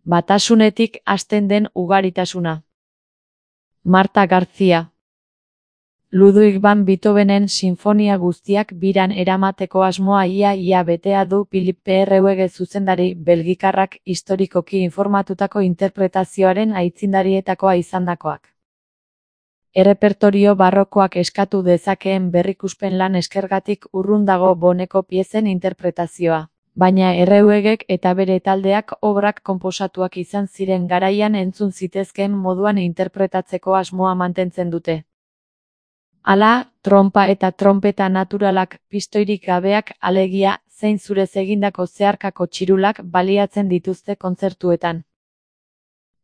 Batasunetik hasten den ugaritasuna. Marta García. Ludwig van Beethovenen sinfonia guztiak biran eramateko asmoa ia betea du Philippe Herrewege zuzendari belgikarrak historikoki informatutako interpretazioaren aitzindarietakoa izandakoak. Errepertorio barrokoak eskatu dezakeen berrikuspen lan eskergatik urrun dago Boneko piezen interpretazioa, baina Herrewegek eta bere taldeak obrak konposatuak izan ziren garaian entzun zitezkeen moduan interpretatzeko asmoa mantentzen dute. Hala, trompa eta tronpeta naturalak, pistoirik gabeak, alegia, zein zurez egindako zeharkako txirulak baliatzen dituzte kontzertuetan.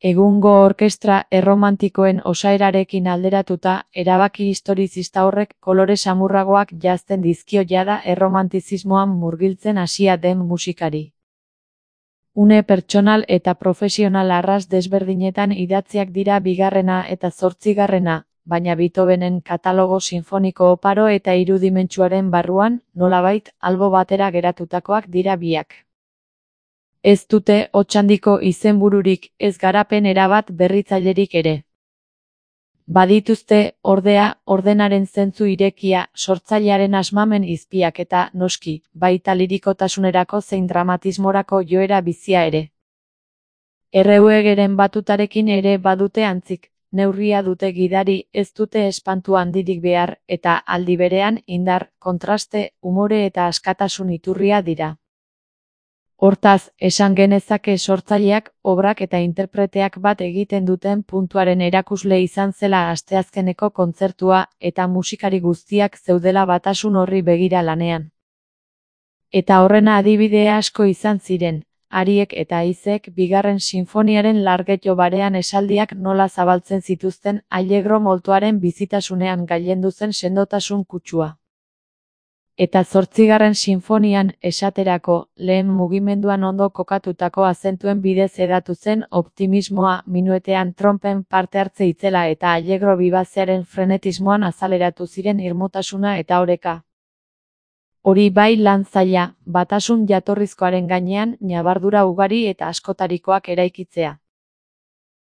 Egungo orkestra erromantikoen osaerarekin alderatuta, erabaki historizista horrek kolore samurragoak janzten dizkio jada erromantizismoan murgiltzen hasia den musikari. Une pertsonal eta profesional arras desberdinetan idatziak dira bigarrena eta zortzigarrena, baina Beethovenen katalogo sinfoniko oparo eta irudimentsuaren barruan, nolabait, albo batera geratutakoak dira biak. Ez dute hotsandiko izenbururik, ez garapen erabat berritzailerik ere. Badituzte, ordea, ordenaren zentzu irekia, sortzailearen asmamen izpiak eta, noski, baita lirikotasunerako zein dramatismorako joera bizia ere. Herrewegeren batutarekin ere badute antzik. Neurria dute gidari, ez dute espantu handirik behar, eta aldi berean indar, kontraste, umore eta askatasun iturria dira. Hortaz, esan genezake sortzaileak, obrak eta interpreteak bat egiten duten puntuaren erakusle izan zela asteazkeneko kontzertua, eta musikari guztiak zeudela batasun horri begira lanean. Eta horrena adibide asko izan ziren. Ariek eta Haizek bigarren sinfoniaren largetxo barean esaldiak nola zabaltzen zituzten Allegro moltoaren bizitasunean gailendu zen sendotasun kutsua. Eta zortzigarren sinfonian, esaterako, lehen mugimenduan ondo kokatutako azentuen bidez hedatu zen optimismoa, minuetean trompen parte hartze itzela eta Allegro bibazearen frenetismoan azaleratu ziren irmotasuna eta oreka. Hori bai lan zaila, batasun jatorrizkoaren gainean, ñabardura ugari eta askotarikoak eraikitzea.